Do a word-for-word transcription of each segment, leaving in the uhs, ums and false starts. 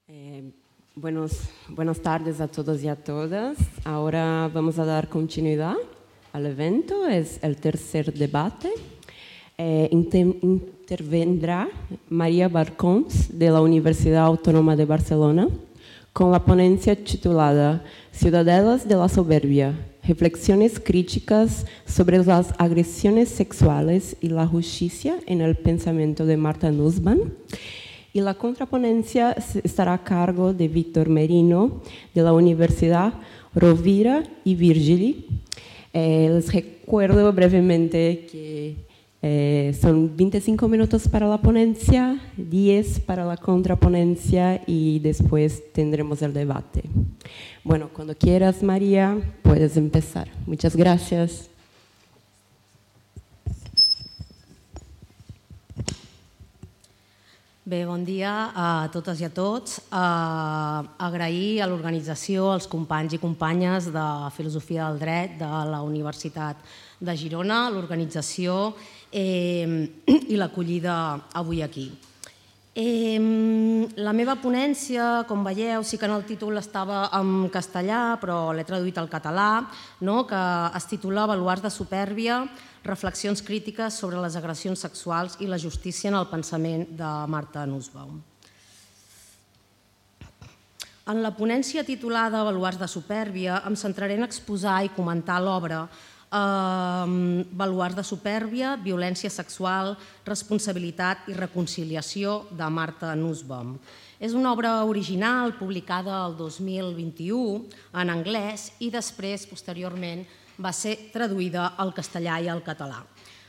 Eh, buenos, buenas tardes a todos y a todas. Ahora vamos a dar continuidad al evento. Es el tercer debate. Eh, inter- intervendrá María Barcons, de la Universidad Autónoma de Barcelona, con la ponencia titulada Ciudadelas de la Soberbia, reflexiones críticas sobre las agresiones sexuales y la justicia en el pensamiento de Marta Nussbaum. Y la contraponencia estará a cargo de Víctor Merino, de la Universidad Rovira y Virgili. Eh, les recuerdo brevemente que eh, son veinticinco minutos para la ponencia, diez para la contraponencia y después tendremos el debate. Bueno, cuando quieras, María, puedes empezar. Muchas gracias. Bé, bon dia a totes i a tots. Uh, agrair a l'organització, als companys i companyes de Filosofia del Dret de la Universitat de Girona, l'organització eh, i l'acollida avui aquí. Eh, la meva ponència, com veieu, sí que en el títol estava en castellà, però l'he traduït al català, no? Que es titula Baluards de supèrbia, reflexions crítiques sobre les agressions sexuals i la justícia en el pensament de Marta Nussbaum. En la ponència titulada Baluards de supèrbia em centraré en exposar i comentar l'obra eh, Baluards de supèrbia, violència sexual, responsabilitat i reconciliació de Marta Nussbaum. És una obra original publicada el dos mil vint-i-u en anglès i després, posteriorment, va ser traduïda al castellà i al català.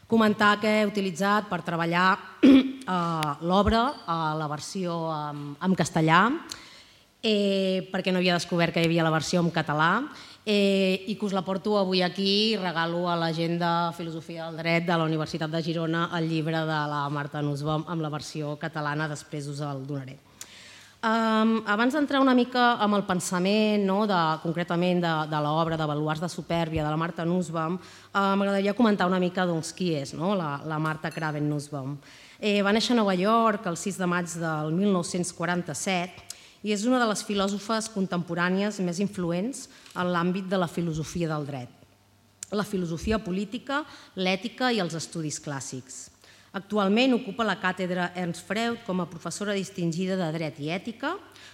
Comentar que he utilitzat per treballar eh, l'obra a la versió en, en castellà, eh, perquè no havia descobert que hi havia la versió en català, eh, i que us la porto avui aquí i regalo a la gent de Filosofia del Dret de la Universitat de Girona el llibre de la Marta Nussbaum amb la versió catalana, després us el donaré. Um, abans d'entrar una mica amb el pensament, no, de, concretament de, de l'obra de Baluards de supèrbia de la Marta Nussbaum, uh, m'agradaria comentar una mica doncs, qui és, no, la, la Marta Craven Nussbaum. Eh, va néixer a Nova York el sis de maig del mil nou-cents quaranta-set i és una de les filòsofes contemporànies més influents en l'àmbit de la filosofia del dret, la filosofia política, l'ètica i els estudis clàssics. Actualment ocupa la càtedra Ernst Freud com a professora distingida de Dret i Ètica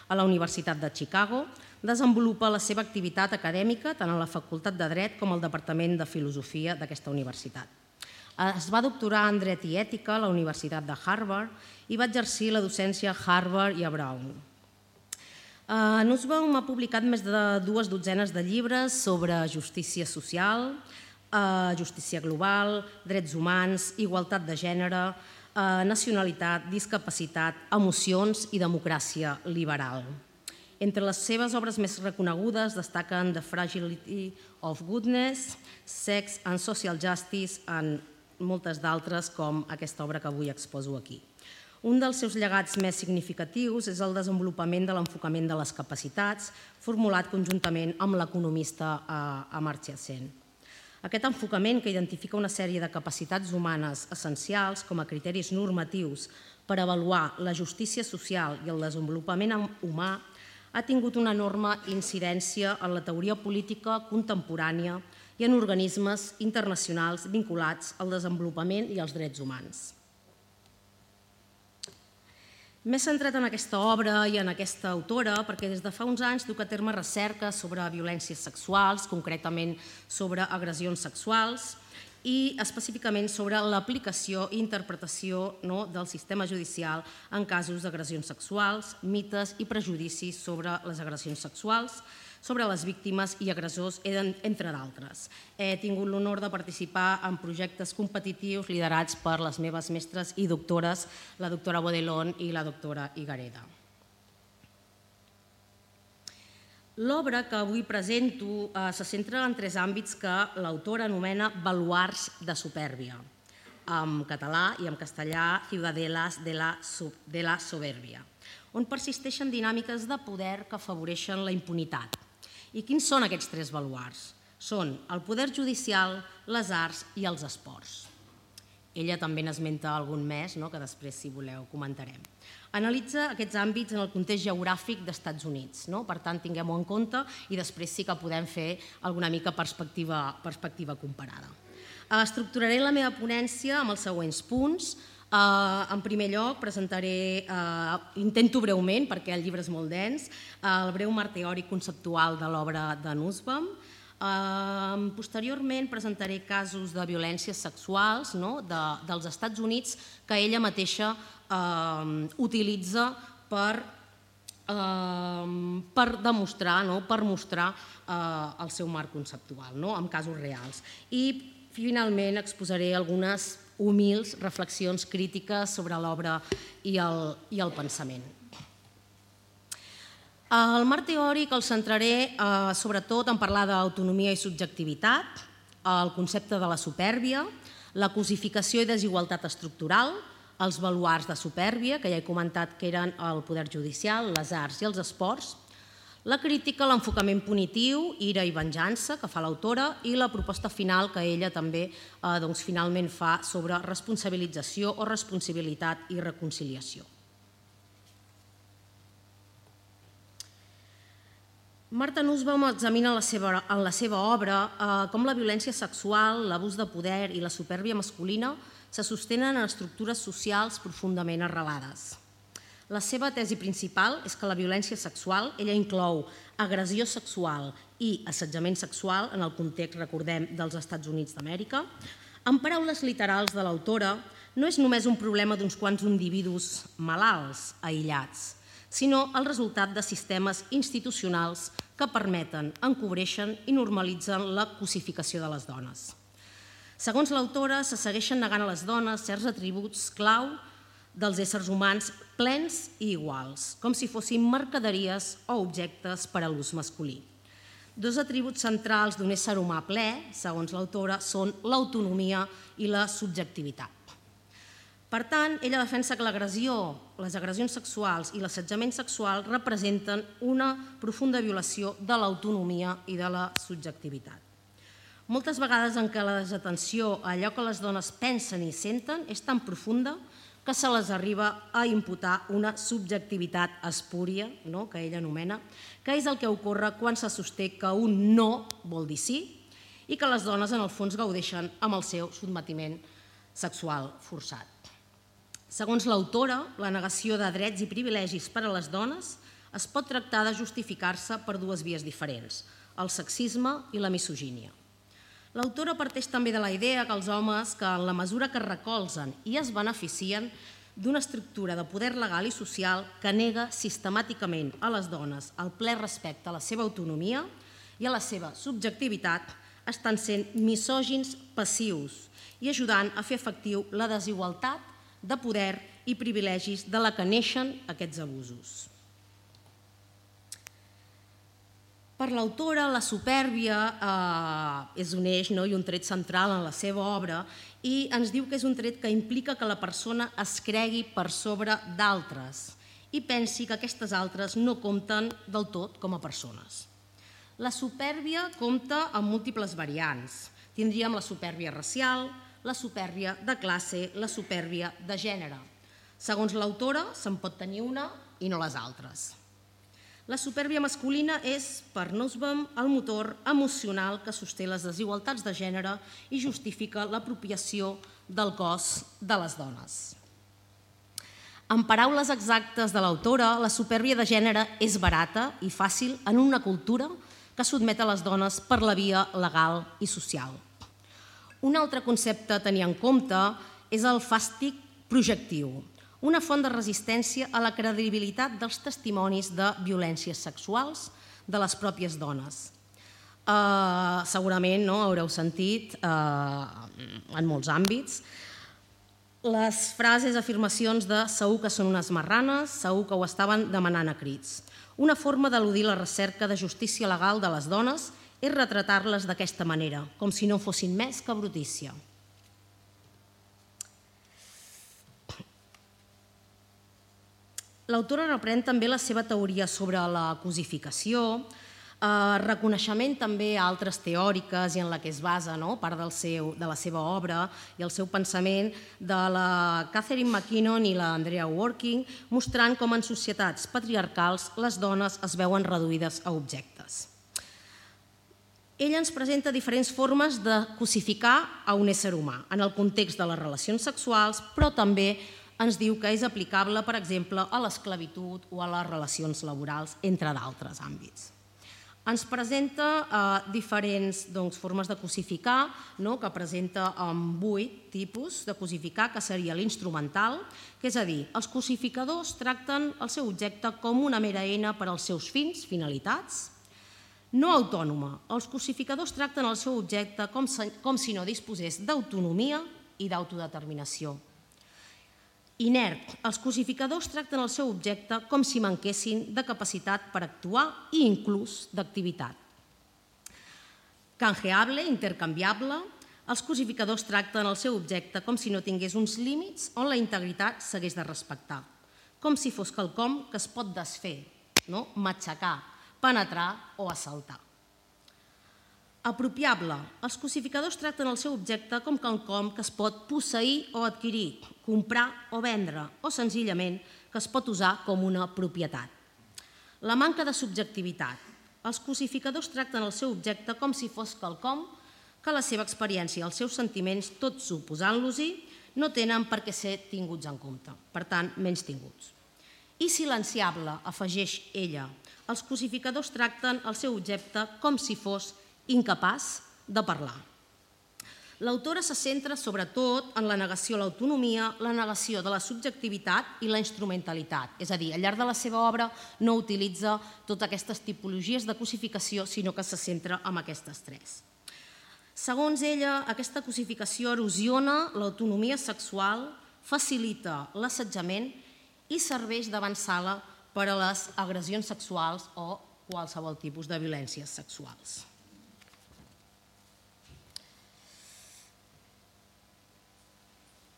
a la Universitat de Chicago. Desenvolupa la seva activitat acadèmica tant a la Facultat de Dret com al Departament de Filosofia d'aquesta universitat. Es va doctorar en Dret i Ètica a la Universitat de Harvard i va exercir la docència a Harvard i a Brown. Nussbaum ha publicat més de dues dotzenes de llibres sobre justícia social, justícia global, drets humans, igualtat de gènere, nacionalitat, discapacitat, emocions i democràcia liberal. Entre les seves obres més reconegudes destaquen The Fragility of Goodness, Sex and Social Justice i moltes d'altres com aquesta obra que avui exposo aquí. Un dels seus llegats més significatius és el desenvolupament de l'enfocament de les capacitats, formulat conjuntament amb l'economista Amartya Sen. Aquest enfocament, que identifica una sèrie de capacitats humanes essencials com a criteris normatius per avaluar la justícia social i el desenvolupament humà, ha tingut una enorme incidència en la teoria política contemporània i en organismes internacionals vinculats al desenvolupament i als drets humans. M'he centrat en aquesta obra i en aquesta autora perquè des de fa uns anys duc a terme recerca sobre violències sexuals, concretament sobre agressions sexuals i específicament sobre l'aplicació i interpretació del sistema judicial en casos d'agressions sexuals, mites i prejudicis sobre les agressions sexuals, sobre les víctimes i agressors, entre d'altres. He tingut l'honor de participar en projectes competitius liderats per les meves mestres i doctores, la doctora Bodelón i la doctora Higareda. L'obra que avui presento se centra en tres àmbits que l'autora anomena baluards de supèrbia, en català i en castellà Ciudadelas de la Soberbia, on persisteixen dinàmiques de poder que afavoreixen la impunitat. I quins són aquests tres baluards? Són el poder judicial, les arts i els esports. ella també n'esmenta algun més, que després, si voleu, comentarem. Analitza aquests àmbits en el context geogràfic dels Estats Units, per tant, tinguem-ho en compte i després sí que podem fer alguna mica perspectiva comparada. Estructuraré la meva ponència amb els següents punts. En primer lloc, presentaré, intento breument, perquè el llibre és molt dens, el breu marc teòric conceptual de l'obra de Nussbaum. Posteriorment presentaré casos de violències sexuals dels Estats Units que ella mateixa utilitza per demostrar, per mostrar el seu marc conceptual, amb casos reals. I finalment exposaré algunes humils reflexions crítiques sobre l'obra i el pensament. El marc teòric el centraré sobretot en parlar d'autonomia i subjectivitat, el concepte de la supèrbia, la cosificació i desigualtat estructural, els baluards de supèrbia, que ja he comentat que eren el poder judicial, les arts i els esports, la crítica a l'enfocament punitiu, ira i venjança, que fa l'autora, i la proposta final que ella també finalment fa sobre responsabilització o responsabilitat i reconciliació. Martha Nussbaum examina en la seva obra com la violència sexual, l'abús de poder i la supèrbia masculina se sostenen en estructures socials profundament arrelades. La seva tesi principal és que la violència sexual, ella inclou agressió sexual i assetjament sexual en el context, recordem, dels Estats Units d'Amèrica. En paraules literals de l'autora, no és només un problema d'uns quants individus malalts, aïllats, sinó el resultat de sistemes institucionals que permeten, encobreixen i normalitzen la cosificació de les dones. Segons l'autora, se segueixen negant a les dones certs atributs clau dels éssers humans plens i iguals, com si fossin mercaderies o objectes per a l'ús masculí. Dos atributs centrals d'un ésser humà ple, segons l'autora, són l'autonomia i la subjectivitat. Per tant, ella defensa que l'agressió, les agressions sexuals i l'assetjament sexual representen una profunda violació de l'autonomia i de la subjectivitat. Moltes vegades en què la desatenció a allò que les dones pensen i senten és tan profunda que se les arriba a imputar una subjectivitat espúria, que ella anomena, que és el que ocorre quan se sosté que un no vol dir sí i que les dones en el fons gaudeixen amb el seu sotmetiment sexual forçat. Segons l'autora, la negació de drets i privilegis per a les dones es pot tractar de justificar-se per dues vies diferents, el sexisme i la misogínia. L'autora parteix també de la idea que els homes, que en la mesura que es recolzen i es beneficien d'una estructura de poder legal i social que nega sistemàticament a les dones el ple respecte a la seva autonomia i a la seva subjectivitat, estan sent misògins passius i ajudant a fer efectiu la desigualtat de poder i privilegis de la que neixen aquests abusos. Per l'autora, la supèrbia és un eix i un tret central en la seva obra i ens diu que és un tret que implica que la persona es cregui per sobre d'altres i pensi que aquestes altres no compten del tot com a persones. La supèrbia compta amb múltiples variants. Tindríem la supèrbia racial, la supèrbia de classe, la supèrbia de gènere. Segons l'autora, se'n pot tenir una i no les altres. La supèrbia masculina és, per Nussbaum, el motor emocional que sosté les desigualtats de gènere i justifica l'apropiació del cos de les dones. En paraules exactes de l'autora, la supèrbia de gènere és barata i fàcil en una cultura que sotmet a les dones per la via legal i social. Un altre concepte a tenir en compte és el fàstic projectiu, una font de resistència a la credibilitat dels testimonis de violències sexuals de les pròpies dones. Segurament haureu sentit en molts àmbits les frases, afirmacions de segur que són unes marranes, segur que ho estaven demanant a crits. Una forma d'eludir la recerca de justícia legal de les dones és retratar-les d'aquesta manera, com si no fossin més que brutícia. L'autora reprèn també la seva teoria sobre la cosificació, Reconeixement també a altres teòriques i en la que es basa part de la seva obra i el seu pensament de la Catherine McKinnon i l'Andrea Working, mostrant com en societats patriarcals les dones es veuen reduïdes a objectes. Ella ens presenta diferents formes de cosificar a un ésser humà en el context de les relacions sexuals, però també ens diu que és aplicable, per exemple, a l'esclavitud o a les relacions laborals, entre d'altres àmbits. Ens presenta diferents formes de cosificar, que presenta vuit tipus de cosificar, que seria l'instrumental, que és a dir, els cosificadors tracten el seu objecte com una mera eina per als seus fins, finalitats. No autònoma, els cosificadors tracten el seu objecte com si no disposés d'autonomia i d'autodeterminació. Inert, els cosificadors tracten el seu objecte com si manquessin de capacitat per actuar i inclús d'activitat. Canjeable, intercanviable, els cosificadors tracten el seu objecte com si no tingués uns límits on la integritat s'hagués de respectar, com si fos quelcom que es pot desfer, matxacar, penetrar o assaltar. Apropiable, els cosificadors tracten el seu objecte com quelcom que es pot posseir o adquirir, comprar o vendre, o senzillament que es pot usar com una propietat. La manca de subjectivitat, els cosificadors tracten el seu objecte com si fos quelcom que la seva experiència i els seus sentiments, tots suposant-los-hi, no tenen per què ser tinguts en compte, per tant, menys tinguts. I silenciable, afegeix ella, els cosificadors tracten el seu objecte com si fos incapaç de parlar. L'autora se centra sobretot en la negació a l'autonomia, la negació de la subjectivitat i la instrumentalitat. És a dir, al llarg de la seva obra no utilitza totes aquestes tipologies de cosificació, sinó que se centra en aquestes tres. Segons ella, aquesta cosificació erosiona l'autonomia sexual, facilita l'assetjament i serveix d'avantsala per a les agressions sexuals o qualsevol tipus de violències sexuals.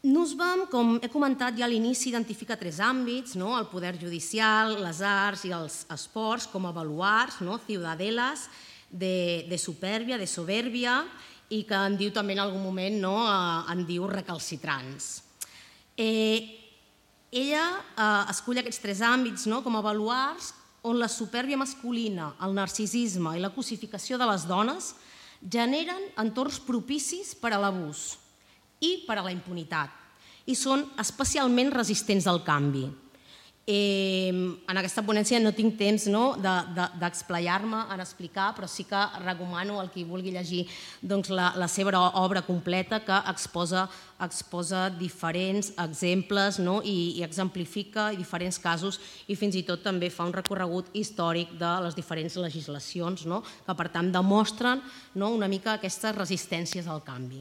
Nussbaum, com he comentat ja a l'inici, identifica tres àmbits, el poder judicial, les arts i els esports com a baluards, ciudadelas, de supèrbia, de soberbia, i que en diu també en algun moment, en diu recalcitrants. Ella escull aquests tres àmbits com a baluards on la supèrbia masculina, el narcisisme i la cosificació de les dones generen entorns propicis per a l'abús i per a la impunitat, i són especialment resistents al canvi. En aquesta ponència no tinc temps d'explayar-me, en explicar, però sí que recomano al qui vulgui llegir la seva obra completa, que exposa diferents exemples i exemplifica diferents casos i fins i tot també fa un recorregut històric de les diferents legislacions que, per tant, demostren una mica aquestes resistències al canvi.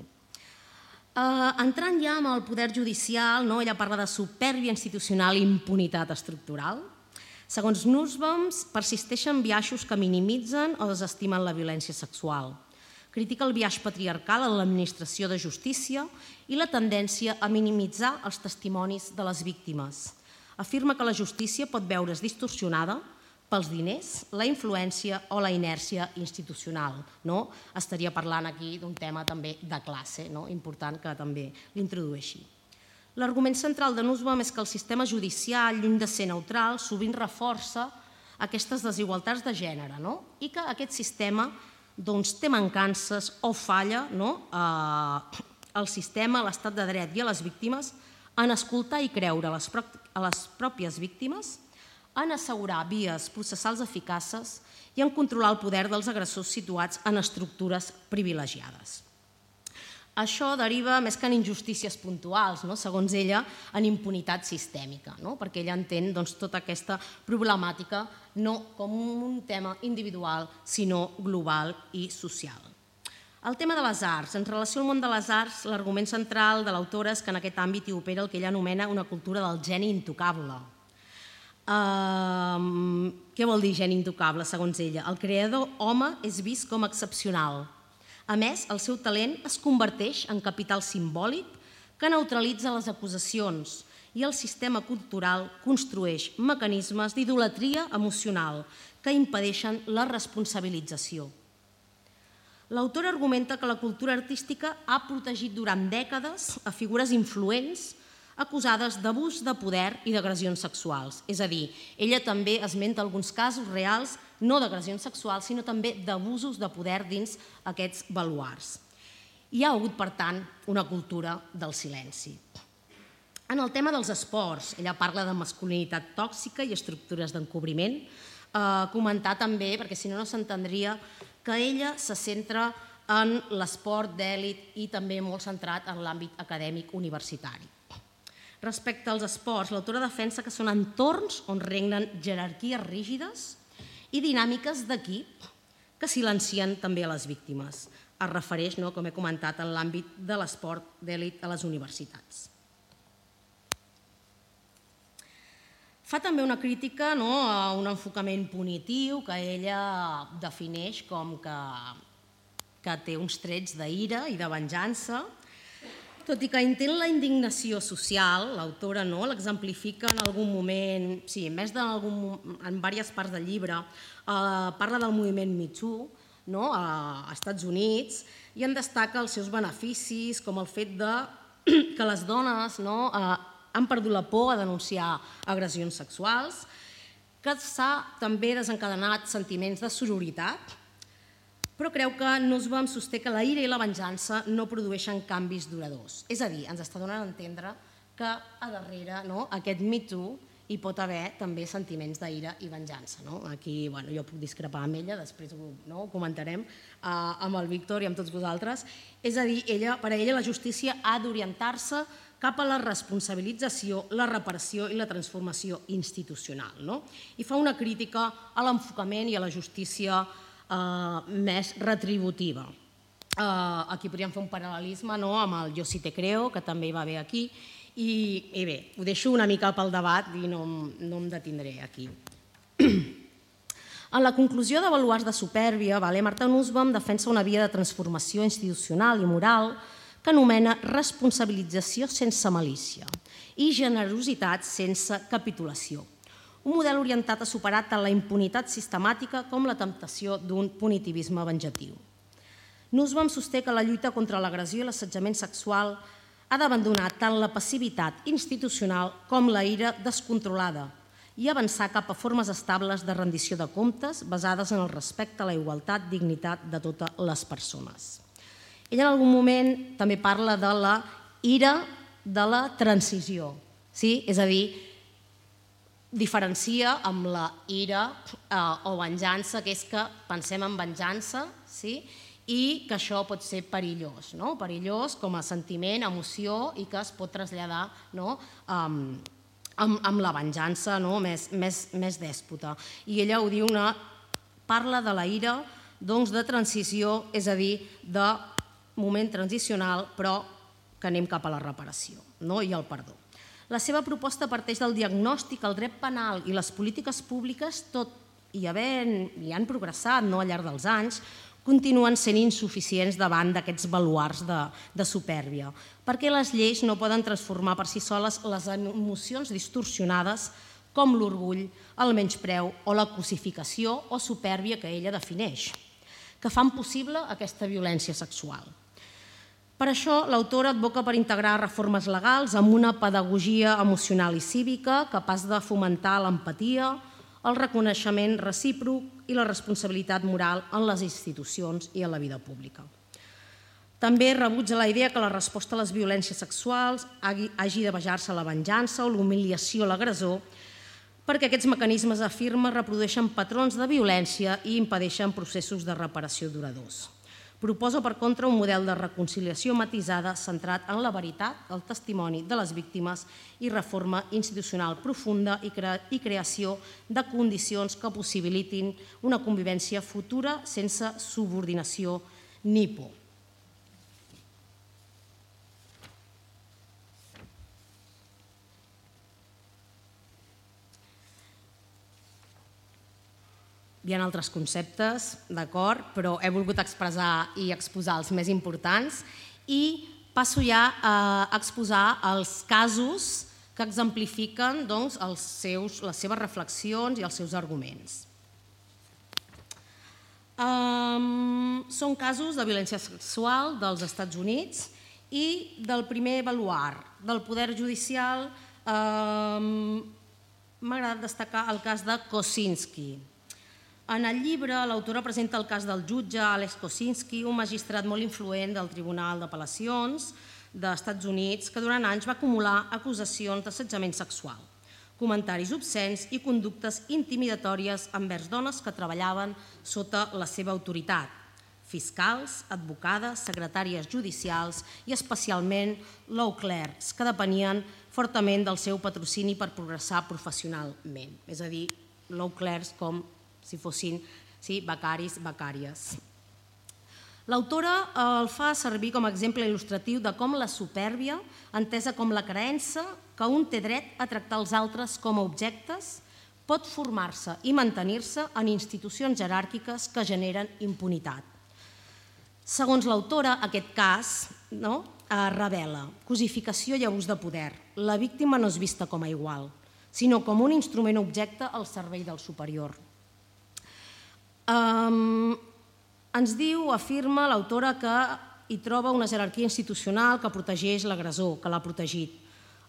Entrant ja en el poder judicial, ella parla de supèrbia institucional i impunitat estructural. Segons Nussbaum, persisteixen biaixos que minimitzen o desestimen la violència sexual. Critica el biaix patriarcal en l'administració de justícia i la tendència a minimitzar els testimonis de les víctimes. Afirma que la justícia pot veure's distorsionada pels diners, la influència o la inèrcia institucional. Estaria parlant aquí d'un tema també de classe, important que també l'introdueixi. L'argument central de Nussbaum és que el sistema judicial, lluny de ser neutral, sovint reforça aquestes desigualtats de gènere i que aquest sistema té mancances o falla al sistema, a l'estat de dret i a les víctimes en escoltar i creure a les pròpies víctimes, en assegurar vies processals eficaces i en controlar el poder dels agressors situats en estructures privilegiades. Això deriva, més que en injustícies puntuals, segons ella, en impunitat sistèmica, perquè ella entén tota aquesta problemàtica no com un tema individual, sinó global i social. El tema de les arts. En relació al món de les arts, l'argument central de l'autora és que en aquest àmbit hi opera el que ella anomena una cultura del geni intocable. Què vol dir geni intocable, segons ella? El creador home és vist com excepcional. A més, el seu talent es converteix en capital simbòlic que neutralitza les acusacions i el sistema cultural construeix mecanismes d'idolatria emocional que impedeixen la responsabilització. L'autor argumenta que la cultura artística ha protegit durant dècades a figures influents acusades d'abús de poder i d'agressions sexuals. És a dir, ella també esmenta alguns casos reals, no d'agressions sexuals, sinó també d'abusos de poder dins aquests baluards. Hi ha hagut, per tant, una cultura del silenci. En el tema dels esports, ella parla de masculinitat tòxica i estructures d'encobriment. Eh, comentar també, perquè si no no s'entendria, que ella se centra en l'esport d'èlit i també molt centrat en l'àmbit acadèmic universitari. Respecte als esports, l'autora defensa que són entorns on regnen jerarquies rígides i dinàmiques d'equip que silencien també a les víctimes. Es refereix, no, com he comentat, en l'àmbit de l'esport d'èlit a les universitats. Fa també una crítica, no, a un enfocament punitiu que ella defineix com que, que té uns trets d'ira i de venjança. Tot i que intent la indignació social, l'autora no, l'exemplifica en algun moment, sí, en més d'algun, en diverses parts del llibre, eh, parla del moviment Me Too, no, a Estats Units, i en destaca els seus beneficis, com el fet de que les dones no, eh, han perdut la por a denunciar agressions sexuals, que s'ha també desencadenat sentiments de sororitat, però creu que Nussbaum sosté que la ira i la venjança no produeixen canvis duradors. És a dir, ens està donant a entendre que a darrere no, aquest Me Too hi pot haver també sentiments d'ira i venjança. No? Aquí bueno, jo puc discrepar amb ella, després ho, no, ho comentarem uh, amb el Víctor i amb tots vosaltres. És a dir, ella, per a ella la justícia ha d'orientar-se cap a la responsabilització, la reparació i la transformació institucional. No? I fa una crítica a l'enfocament i a la justícia Uh, més retributiva. Uh, aquí podríem fer un paral·lelisme no, amb el Jo sí te creo, que també hi va haver aquí, i, i bé, ho deixo una mica pel debat i no, no em detindré aquí. En la conclusió de Baluards de supèrbia, vale, Marta Nussbaum defensa una via de transformació institucional i moral que anomena responsabilització sense malícia i generositat sense capitulació. Un model orientat a superar tant la impunitat sistemàtica com la temptació d'un punitivisme venjatiu. Nussbaum sosté que la lluita contra l'agressió i l'assetjament sexual ha d'abandonar tant la passivitat institucional com la ira descontrolada i avançar cap a formes estables de rendició de comptes basades en el respecte a la igualtat, dignitat de totes les persones. Ella en algun moment també parla de la ira de la transició, sí? És a dir, diferencia amb la ira eh, o venjança, que és que pensem en venjança, sí? I que això pot ser perillós, no? Perillós com a sentiment, emoció, i que es pot traslladar no? um, amb, amb la venjança no? més, més, més dèspota. I ella ho diu, una, parla de la ira doncs, de transició, és a dir, de moment transicional, però que anem cap a la reparació no? I el perdó. La seva proposta parteix del diagnòstic, el dret penal i les polítiques públiques, tot i havent, i han progressat no, al llarg dels anys, continuen sent insuficients davant d'aquests baluards de, de supèrbia, perquè les lleis no poden transformar per si soles les emocions distorsionades com l'orgull, el menyspreu o la cosificació o supèrbia que ella defineix, que fan possible aquesta violència sexual. Per això, l'autora advoca per integrar reformes legals amb una pedagogia emocional i cívica capaç de fomentar l'empatia, el reconeixement recíproc i la responsabilitat moral en les institucions i en la vida pública. També rebutja la idea que la resposta a les violències sexuals hagi de basar-se a la venjança o l'humiliació a l'agressor, perquè aquests mecanismes, afirma, reprodueixen patrons de violència i impedeixen processos de reparació duradors. Proposa, per contra, un model de reconciliació matisada centrat en la veritat, el testimoni de les víctimes i reforma institucional profunda i, cre i creació de condicions que possibilitin una convivència futura sense subordinació ni por. Hi ha altres conceptes, d'acord, però he volgut expressar i exposar els més importants i passo ja a exposar els casos que exemplifiquen doncs, els seus, les seves reflexions i els seus arguments. Um, són casos de violència sexual dels Estats Units i del primer baluard del poder judicial. um, M'ha agradat destacar el cas de Kosinski. En el llibre, l'autora presenta el cas del jutge Alex Kosinski, un magistrat molt influent del Tribunal d'Apel·lacions dels Estats Units, que durant anys va acumular acusacions d'assetjament sexual, comentaris obscens i conductes intimidatòries envers dones que treballaven sota la seva autoritat, fiscals, advocades, secretàries judicials i especialment law clerks, que depenien fortament del seu patrocini per progressar professionalment. És a dir, law clerks com si fossin sí, becaris, becàries. L'autora el fa servir com a exemple il·lustratiu de com la supèrbia, entesa com la creença que un té dret a tractar els altres com a objectes, pot formar-se i mantenir-se en institucions jeràrquiques que generen impunitat. Segons l'autora, aquest cas no, revela cosificació i abús de poder. La víctima no és vista com a igual, sinó com un instrument objecte al servei del superior. Um, ens diu, afirma l'autora, que hi troba una jerarquia institucional que protegeix l'agressor, que l'ha protegit.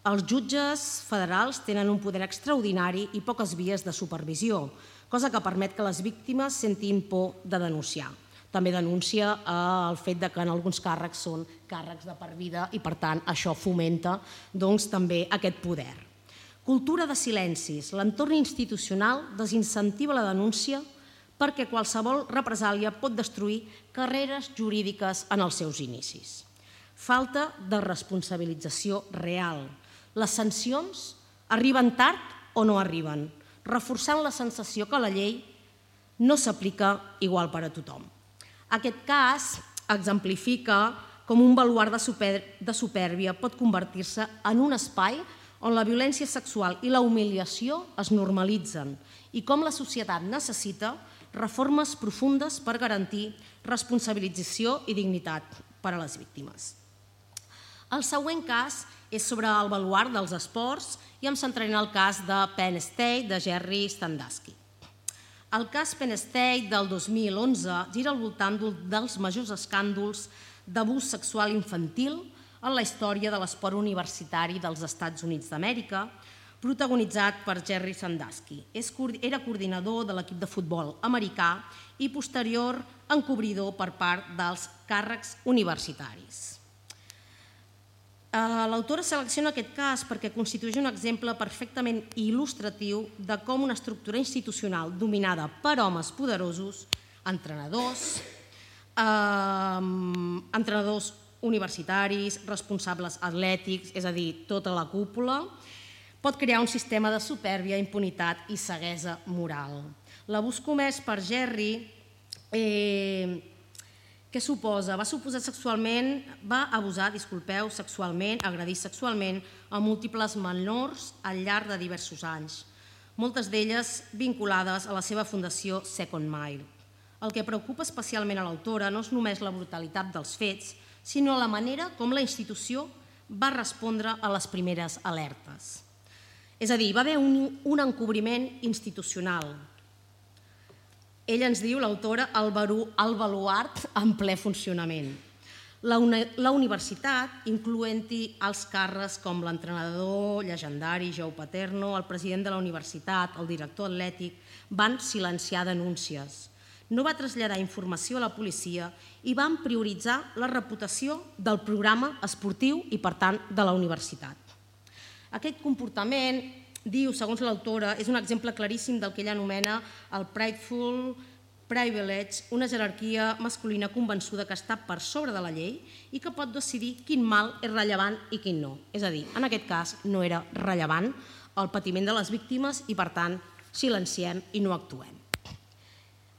Els jutges federals tenen un poder extraordinari i poques vies de supervisió, cosa que permet que les víctimes sentin por de denunciar. També denuncia el fet que en alguns càrrecs són càrrecs de per vida i, per tant, això fomenta doncs, també aquest poder. Cultura de silencis. L'entorn institucional desincentiva la denúncia perquè qualsevol represàlia pot destruir carreres jurídiques en els seus inicis. Falta de responsabilització real. Les sancions arriben tard o no arriben, reforçant la sensació que la llei no s'aplica igual per a tothom. Aquest cas exemplifica com un baluard de supèrbia pot convertir-se en un espai on la violència sexual i la humiliació es normalitzen i com la societat necessita reformes profundes per garantir responsabilització i dignitat per a les víctimes. El següent cas és sobre el baluard dels esports i em centraré en el cas de Penn State de Jerry Sandusky. El cas Penn State del dos mil onze gira al voltant dels majors escàndols d'abús sexual infantil en la història de l'esport universitari dels Estats Units d'Amèrica, protagonitzat per Jerry Sandusky. Era coordinador de l'equip de futbol americà i posterior encobridor per part dels càrrecs universitaris. L'autora selecciona aquest cas perquè constitueix un exemple perfectament il·lustratiu de com una estructura institucional dominada per homes poderosos, entrenadors, entrenadors universitaris, responsables atlètics, és a dir, tota la cúpula, pot crear un sistema de supèrbia, impunitat i ceguesa moral. L'abús comès per Jerry, què suposa? Va suposar sexualment, va abusar, disculpeu, sexualment, agredir sexualment a múltiples menors al llarg de diversos anys, moltes d'elles vinculades a la seva fundació Second Mile. El que preocupa especialment a l'autora no és només la brutalitat dels fets, sinó la manera com la institució va respondre a les primeres alertes. És a dir, va haver un, un encobriment institucional. Ella ens diu, l'autora, el, el baluard en ple funcionament. La, la universitat, incloent-hi els càrrecs com l'entrenador llegendari Joe Paterno, el president de la universitat, el director atlètic, van silenciar denúncies. No va traslladar informació a la policia i van prioritzar la reputació del programa esportiu i, per tant, de la universitat. Aquest comportament, diu, segons l'autora, és un exemple claríssim del que ella anomena el prideful privilege, una jerarquia masculina convençuda que està per sobre de la llei i que pot decidir quin mal és rellevant i quin no. És a dir, en aquest cas no era rellevant el patiment de les víctimes i, per tant, silenciem i no actuem.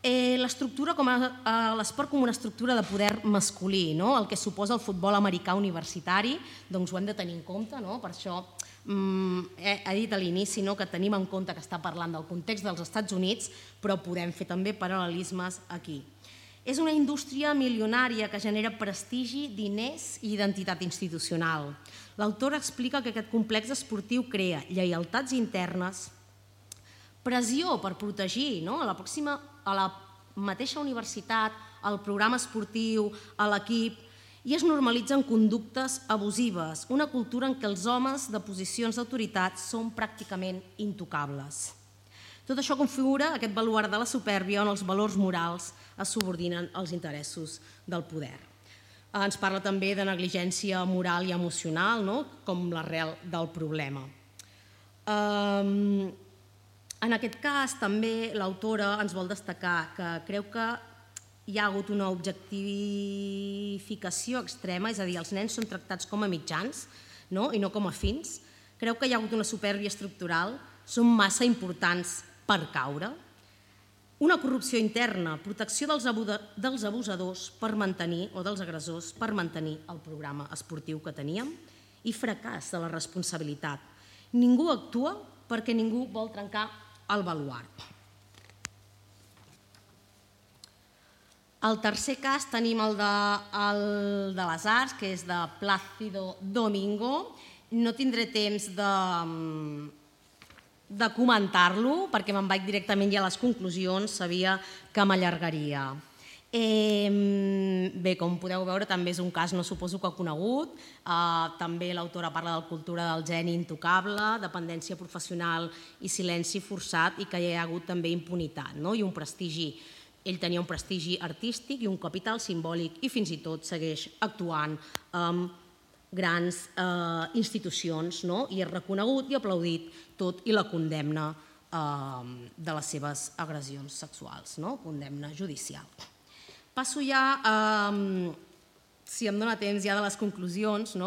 L'estructura com a l'esport com una estructura de poder masculí, el que suposa el futbol americà universitari, doncs ho hem de tenir en compte, per això he dit a l'inici que tenim en compte que està parlant del context dels Estats Units, però podem fer també paral·lelismes aquí. És una indústria milionària que genera prestigi, diners i identitat institucional. L'autora explica que aquest complex esportiu crea lleialtats internes, pressió per protegir a la pròxima, a la mateixa universitat, al programa esportiu, a l'equip, i es normalitzen conductes abusives, una cultura en què els homes de posicions d'autoritat són pràcticament intocables. Tot això configura aquest baluard de la supèrbia on els valors morals es subordinen als interessos del poder. Ens parla també de negligència moral i emocional, com l'arrel del problema. En aquest cas, també l'autora ens vol destacar que creu que hi ha hagut una objectificació extrema, és a dir, els nens són tractats com a mitjans i no com a fins. Creu que hi ha hagut una supèrbia estructural, són massa importants per caure. Una corrupció interna, protecció dels abusadors per mantenir, o dels agressors, per mantenir el programa esportiu que teníem, i fracàs de la responsabilitat. Ningú actua perquè ningú vol trencar el baluard. El tercer cas tenim el de les arts, que és de Plácido Domingo. No tindré temps de... de comentar-lo, perquè me'n vaig directament ja a les conclusions, sabia que m'allargaria. Bé, com podeu veure, també és un cas, no suposo que conegut. També l'autora parla de la cultura del geni intocable, dependència professional i silenci forçat, i que hi ha hagut també impunitat i un prestigi. Ell tenia un prestigi artístic i un capital simbòlic i fins i tot segueix actuant amb grans institucions i és reconegut i aplaudit tot i la condemna de les seves agressions sexuals, condemna judicial. Passo ja, si em dóna temps, ja de les conclusions.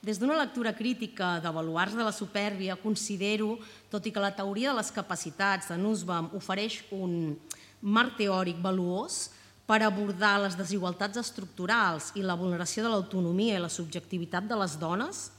Des d'una lectura crítica de baluards de la supèrbia, considero, tot i que la teoria de les capacitats de Nussbaum ofereix un marc teòric valuós per abordar les desigualtats estructurals i la vulneració de l'autonomia i la subjectivitat de les dones,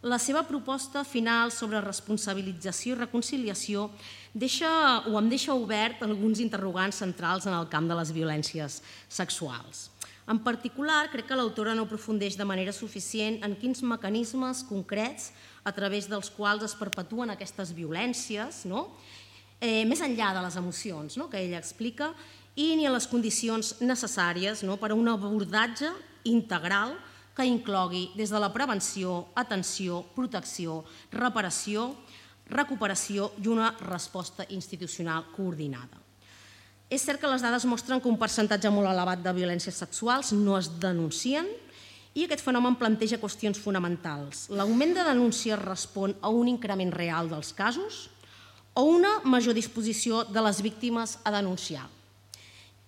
la seva proposta final sobre responsabilització i reconciliació o em deixa obert alguns interrogants centrals en el camp de les violències sexuals. En particular, crec que l'autora no aprofundeix de manera suficient en quins mecanismes concrets a través dels quals es perpetuen aquestes violències, més enllà de les emocions que ella explica, i ni a les condicions necessàries per a un abordatge integral que inclogui des de la prevenció, atenció, protecció, reparació, recuperació i una resposta institucional coordinada. És cert que les dades mostren que un percentatge molt elevat de violències sexuals no es denuncien i aquest fenomen planteja qüestions fonamentals. L'augment de denúncies respon a un increment real dels casos o una major disposició de les víctimes a denunciar.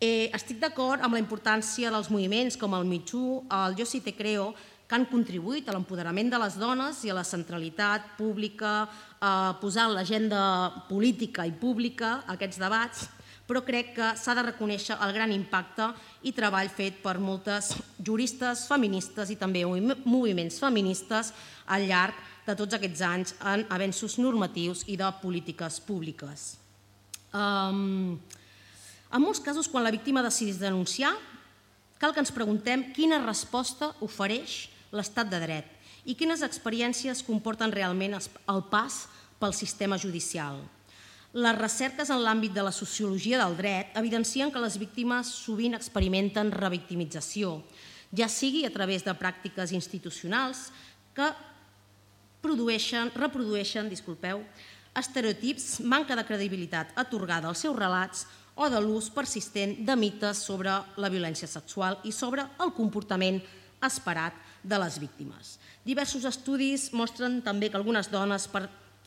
Estic d'acord amb la importància dels moviments com el Me Too, el Jo Sí Te Creo, que han contribuït a l'empoderament de les dones i a la centralitat pública, a posar en l'agenda política i pública aquests debats, però crec que s'ha de reconèixer el gran impacte i treball fet per moltes juristes feministes i també moviments feministes al llarg de tots aquests anys en avenços normatius i de polítiques públiques. En molts casos, quan la víctima decideix denunciar, cal que ens preguntem quina resposta ofereix l'estat de dret i quines experiències comporten realment el pas pel sistema judicial. Les recerques en l'àmbit de la sociologia del dret evidencien que les víctimes sovint experimenten revictimització, ja sigui a través de pràctiques institucionals que reprodueixen estereotips, manca de credibilitat atorgada als seus relats o de l'ús persistent de mites sobre la violència sexual i sobre el comportament esperat de les víctimes. Diversos estudis mostren també que algunes dones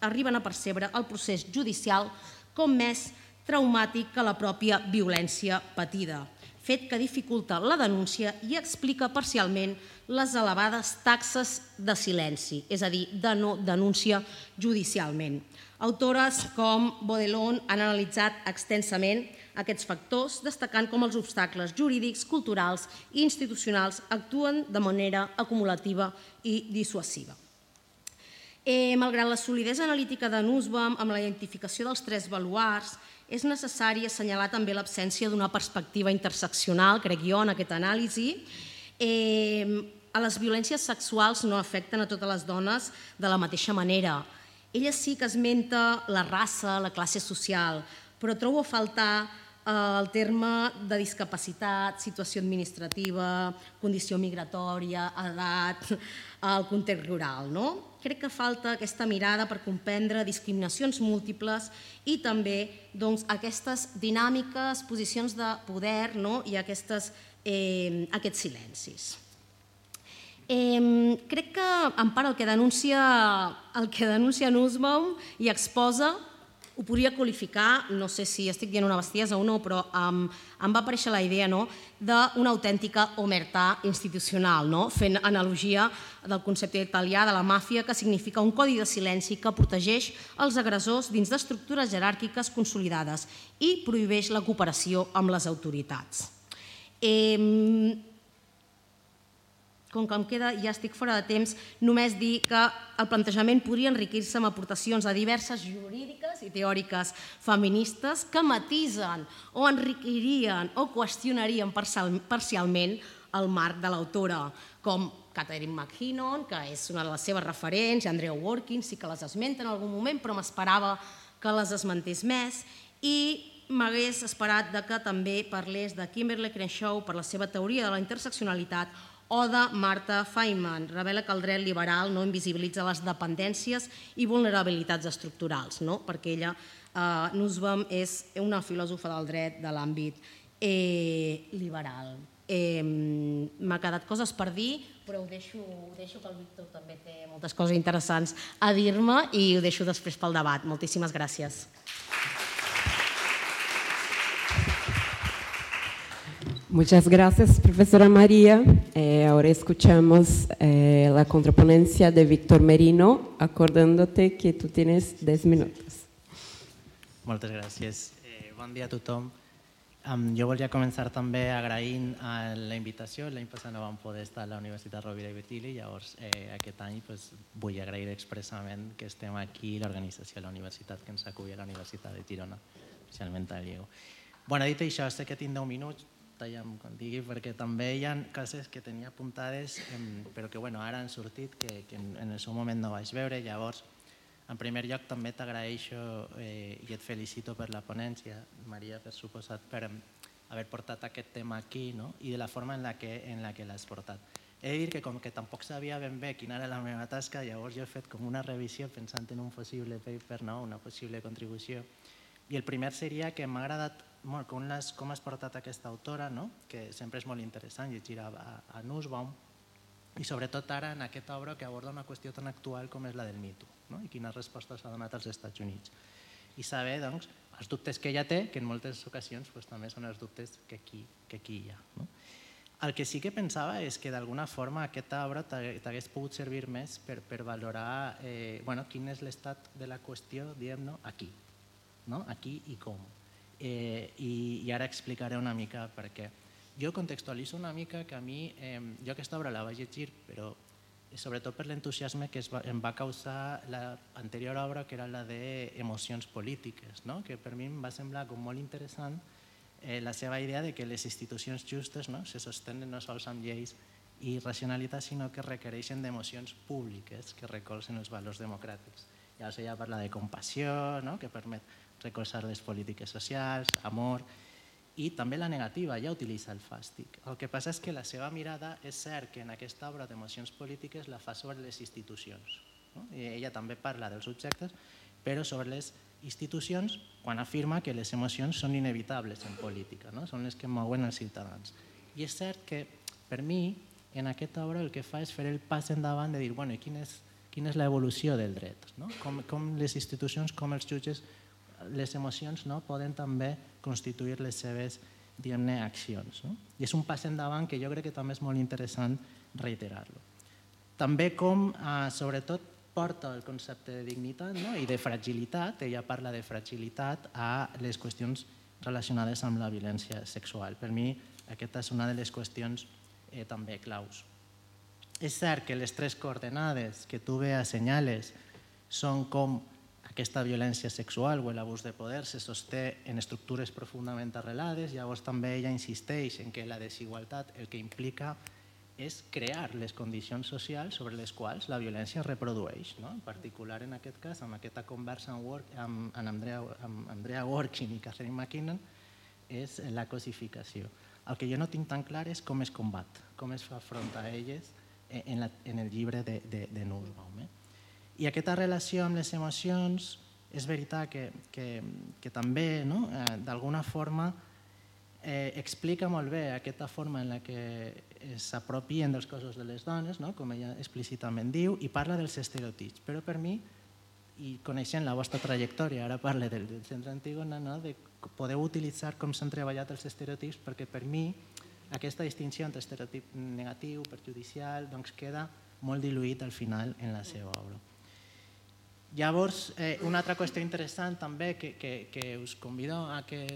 arriben a percebre el procés judicial com més traumàtic que la pròpia violència patida, fet que dificulta la denúncia i explica parcialment les elevades taxes de silenci, és a dir, de no denúncia judicialment. Autores com Baudelon han analitzat extensament aquests factors, destacant com els obstacles jurídics, culturals i institucionals actuen de manera acumulativa i dissuasiva. Malgrat la solidesa analítica de Nussbaum amb la identificació dels tres baluards, és necessari assenyalar també l'absència d'una perspectiva interseccional, crec jo, en aquesta anàlisi. Les violències sexuals no afecten a totes les dones de la mateixa manera. Ella sí que esmenta la raça, la classe social, però trobo a faltar el terme de discapacitat, situació administrativa, condició migratòria, edat, el context rural. Crec que falta aquesta mirada per comprendre discriminacions múltiples i també aquestes dinàmiques, posicions de poder i aquests silencis. Crec que en part el que denuncia Nussbaum i exposa ho podria qualificar, no sé si estic dient una bestiesa o no, però em va aparèixer la idea d'una autèntica omertà institucional, fent analogia del concepte italià de la màfia, que significa un codi de silenci que protegeix els agressors dins d'estructures jeràrquiques consolidades i prohibeix la cooperació amb les autoritats. Com que em queda, ja estic fora de temps, només dir que el plantejament podria enriquir-se amb aportacions a diverses jurídiques i teòriques feministes que matisen o enriquirien o qüestionarien parcialment el marc de l'autora, com Catherine McKinnon, que és una de les seves referents, i Andrea Workins, sí que les esmenta en algun moment, però m'esperava que les esmentés més, i m'hagués esperat que també parlés de Kimberlé Crenshaw per la seva teoria de la interseccionalitat o de Marta Feynman, revela que el dret liberal no invisibilitza les dependències i vulnerabilitats estructurals, perquè ella, Nussbaum, és una filòsofa del dret de l'àmbit liberal. M'ha quedat coses per dir, però ho deixo que el Víctor també té moltes coses interessants a dir-me i ho deixo després pel debat. Moltíssimes gràcies. Muchas gracias, profesora María. Eh, ahora escuchamos eh, la contraponencia de Víctor Merino, acordándote que tú tienes diez minutos. Moltes gràcies. Eh, bon dia a tothom. Um, jo volia començar també agraint a la invitació. L'any passat no vam poder estar a la Universitat Rovira i Virgili, llavors eh, aquest any pues, vull agrair expressament que estem aquí, l'organització de la universitat que ens acull a la Universitat de Girona, especialment a Diego. Bueno, dit això, sé que tinc deu minuts, tallam quan digui, perquè també hi ha coses que tenia apuntades, però que bueno, ara han sortit, que, que en el seu moment no vaig veure. Llavors, en primer lloc, també t'agraeixo eh, i et felicito per la ponència, Maria, per suposat, per haver portat aquest tema aquí, no? I de la forma en la que, en la que l'has portat. He de dir que com que tampoc sabia ben bé quina era la meva tasca, llavors jo he fet com una revisió pensant en un possible paper, no? Una possible contribució. I el primer seria que m'ha agradat molt com, les, com has portat aquesta autora, no? Que sempre és molt interessant llegir a, a Nussbaum, i sobretot ara en aquesta obra que aborda una qüestió tan actual com és la del Me Too, no? I quines respostes s'ha donat als Estats Units. I saber doncs, els dubtes que ella té, que en moltes ocasions pues, també són els dubtes que aquí, que aquí hi ha. No? El que sí que pensava és que d'alguna forma aquesta obra t'hagués pogut servir més per, per valorar eh, bueno, quin és l'estat de la qüestió, diguem, no? Aquí, no? Aquí i com. Eh, i, i ara explicaré una mica per què. Jo contextualitzo una mica que a mi, eh, jo aquesta obra la vaig llegir, però sobretot per l'entusiasme que es va, em va causar l'anterior obra, que era la d'emocions polítiques, no? Que per mi em va semblar com molt interessant eh, la seva idea de que les institucions justes no? se sostenen no sols amb lleis i racionalitat, sinó que requereixen d'emocions públiques que recolzen els valors democràtics. Llavors ella parla de compassió, no? Que permet recolzar les polítiques socials, amor, i també la negativa, ja utilitza el fàstic. El que passa és que la seva mirada és cert que en aquesta obra d'emocions polítiques la fa sobre les institucions. No? I ella també parla dels subjectes, però sobre les institucions quan afirma que les emocions són inevitables en política, no? Són les que mouen els ciutadans. I és cert que per mi en aquesta obra el que fa és fer el pas endavant de dir bueno, i quina és, quina és l'evolució del dret, no? com, com les institucions, com els jutges, les emocions no, poden també constituir les seves diguem-ne accions. No? I és un pas endavant que jo crec que també és molt interessant reiterar-lo. També com, eh, sobretot, porta el concepte de dignitat no? I de fragilitat, ella parla de fragilitat a les qüestions relacionades amb la violència sexual. Per mi aquesta és una de les qüestions eh, també claus. És cert que les tres coordenades que tu bé assenyales són com aquesta violència sexual o l'abús de poder se sosté en estructures profundament arrelades. Llavors també ella insisteix en que la desigualtat el que implica és crear les condicions socials sobre les quals la violència es reprodueix. En particular, en aquest cas, amb aquesta conversa amb Andrea Dworkin i Catherine McKinnon, és la cosificació. El que jo no tinc tan clar és com es combat, com es fa front a elles en el llibre de Nussbaum. I aquesta relació amb les emocions és veritat que també, d'alguna forma, explica molt bé aquesta forma en la que s'apropien dels cossos de les dones, com ella explícitament diu, i parla dels estereotips. Però per mi, i coneixent la vostra trajectòria, ara parlo del Centre Antígona, de podeu utilitzar com s'han treballat els estereotips, perquè per mi aquesta distinció entre estereotip negatiu, perjudicial, queda molt diluït al final en la seva obra. Llavors, una altra qüestió interessant també que us convido a que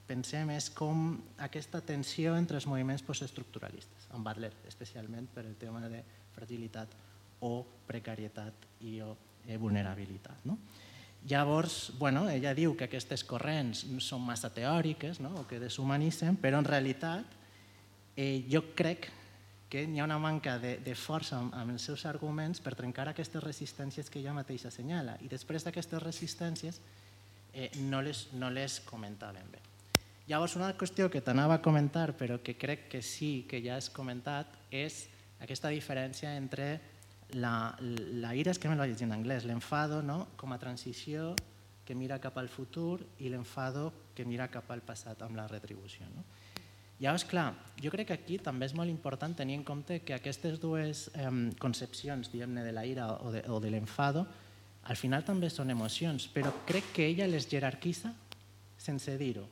pensem és com aquesta tensió entre els moviments postestructuralistes, en Butler especialment per el tema de fragilitat o precarietat i o vulnerabilitat. Llavors, ella diu que aquestes corrents són massa teòriques o que deshumanitzen, però en realitat jo crec que hi ha una manca de força amb els seus arguments per trencar aquestes resistències que ella mateixa assenyala, i després d'aquestes resistències no les comentaven bé. Llavors, una qüestió que t'anava a comentar, però que crec que sí que ja has comentat, és aquesta diferència entre la ira, és que me lo vaig llegir en anglès, l'enfado com a transició que mira cap al futur i l'enfado que mira cap al passat amb la retribució. Llavors, clar, jo crec que aquí també és molt important tenir en compte que aquestes dues concepcions, diguem-ne, de la ira o de l'enfado, al final també són emocions, però crec que ella les jerarquitza sense dir-ho.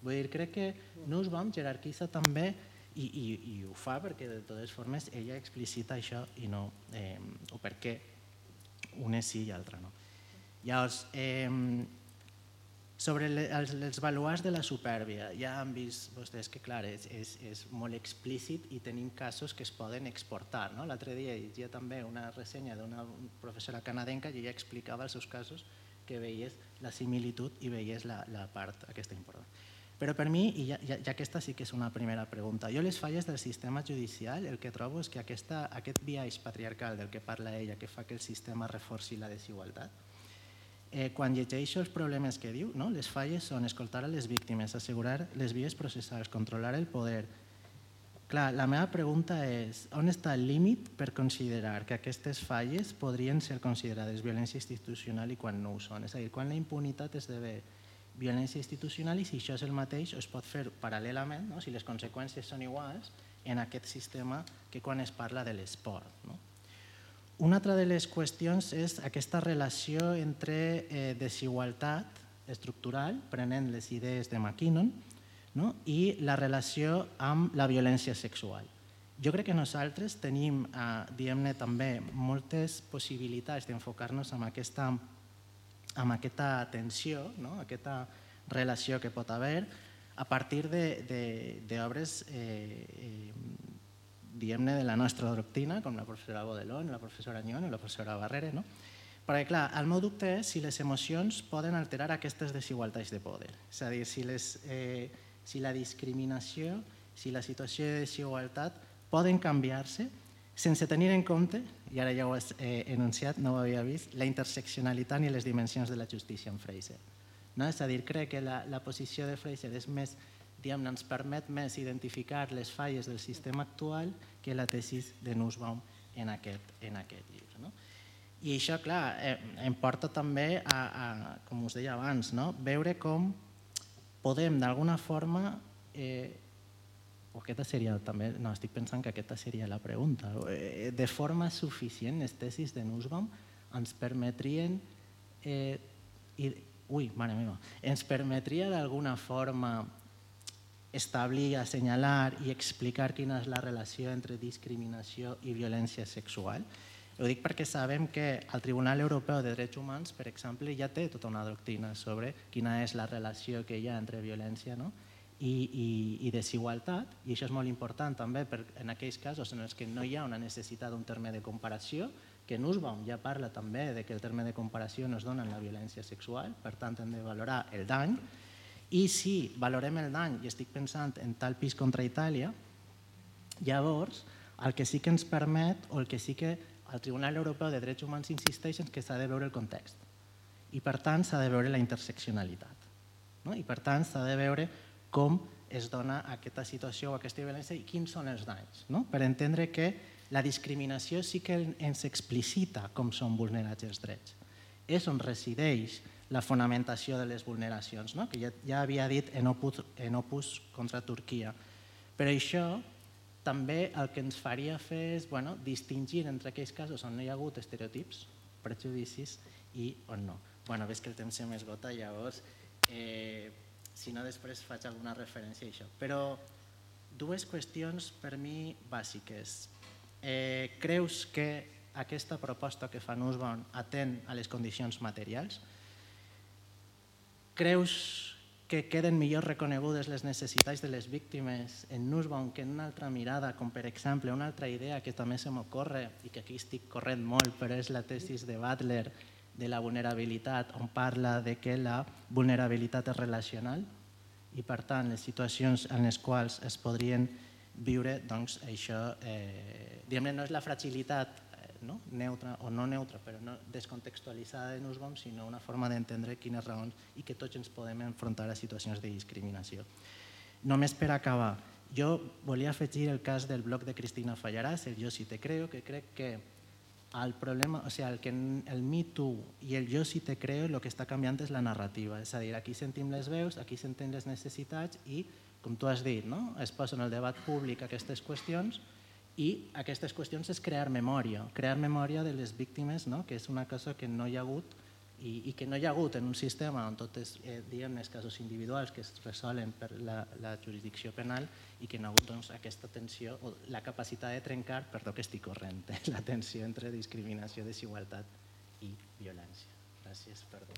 Vull dir, crec que Nussbaum jerarquitza també, i ho fa perquè de totes formes ella explicita això i no, o per què una sí i l'altra no. Llavors, sobre els baluars de la supèrbia, ja han vist vostès que, clar, és molt explícit i tenim casos que es poden exportar. L'altre dia llegia també una ressenya d'una professora canadenca i ella explicava els seus casos que veies la similitud i veies la part aquesta important. Però per mi, i ja aquesta sí que és una primera pregunta, jo les falles del sistema judicial el que trobo és que aquest biaix patriarcal del que parla ella, que fa que el sistema reforci la desigualtat, quan llegeixo els problemes que diu, les falles són escoltar a les víctimes, assegurar les vies processals, controlar el poder. Clar, la meva pregunta és, on està el límit per considerar que aquestes falles podrien ser considerades violència institucional i quan no ho són? És a dir, quan la impunitat esdevé violència institucional i si això és el mateix es pot fer paral·lelament, si les conseqüències són iguals, en aquest sistema que quan es parla de l'esport. Una altra de les qüestions és aquesta relació entre desigualtat estructural, prenent les idees de McKinnon, i la relació amb la violència sexual. Jo crec que nosaltres tenim, diguem-ne, també moltes possibilitats d'enfocar-nos amb aquesta amb aquesta tensió, aquesta relació que pot haver a partir d'obres, diguem-ne, de la nostra doctrina, com la professora Baudelaire, la professora Agnon o la professora Barrere. Perquè, clar, el meu dubte és si les emocions poden alterar aquestes desigualtats de poder. És a dir, si la discriminació, si la situació de desigualtat poden canviar-se sense tenir en compte, i ara ja ho has enunciat, no ho havia vist, la interseccionalitat i les dimensions de la justícia en Fraser. És a dir, crec que la posició de Fraser és més, diguem-ne, ens permet més identificar les falles del sistema actual que la tesis de Nussbaum en aquest llibre. I això, clar, em porta també a, com us deia abans, veure com podem, d'alguna forma, o aquesta seria també, no, estic pensant que aquesta seria la pregunta, de forma suficient les tesis de Nussbaum ens permetrien, ui, mare meva, ens permetria d'alguna forma establir, assenyalar i explicar quina és la relació entre discriminació i violència sexual. Ho dic perquè sabem que el Tribunal Europeu de Drets Humans, per exemple, ja té tota una doctrina sobre quina és la relació que hi ha entre violència i desigualtat, i això és molt important també en aquells casos en els que no hi ha una necessitat d'un terme de comparació, que Nussbaum ja parla també de que el terme de comparació no es dona en la violència sexual, per tant hem de valorar el dany, i si valorem el dany, i estic pensant en tal pis contra Itàlia, llavors el que sí que ens permet, o el que sí que el Tribunal Europeu de Drets Humans insisteix és que s'ha de veure el context, i per tant s'ha de veure la interseccionalitat, no? I per tant s'ha de veure com es dona aquesta situació o aquesta violència i quins són els danys, no? Per entendre que la discriminació sí que ens explicita com són vulnerats els drets. És on resideix la fonamentació de les vulneracions, no? Que ja, ja havia dit en Opus, en Opus contra Turquia. Però això també el que ens faria fer és bueno, distingir entre aquells casos on no hi ha hagut estereotips, prejudicis i on no. Bueno, ves que el temps se m'esgota, llavors, eh, si no després faig alguna referència a això. Però dues qüestions per mi bàsiques. Eh, creus que aquesta proposta que fa Nussbaum atén a les condicions materials? Creus que queden millor reconegudes les necessitats de les víctimes en Nussbaum que en una altra mirada, com per exemple una altra idea que també se m'ocorre i que aquí estic corrent molt, però és la tesis de Butler de la vulnerabilitat, on parla de que la vulnerabilitat és relacional i per tant les situacions en les quals es podrien viure, doncs això, eh, diguem-ne, no és la fragilitat eh, no? neutra o no neutra, però no descontextualitzada de Nussbaum, sinó una forma d'entendre quines raons i que tots ens podem enfrontar a situacions de discriminació. Només per acabar, jo volia afegir el cas del blog de Cristina Fallarás, el Jo sí te creo, que crec que el problema, o sigui, el, que el Me Too i el Jo sí te creo el que està canviant és la narrativa, és a dir, aquí sentim les veus, aquí sentim les necessitats i com tu has dit, no? Es posen en el debat públic aquestes qüestions i aquestes qüestions és crear memòria, crear memòria de les víctimes, no? Que és una cosa que no hi ha hagut i, i que no hi ha hagut en un sistema on tots els eh, casos individuals que es resolen per la, la jurisdicció penal i que no ha hagut doncs, aquesta tensió o la capacitat de trencar, perdó que estic corrent, la tensió entre discriminació, desigualtat i violència. Gràcies, perdó.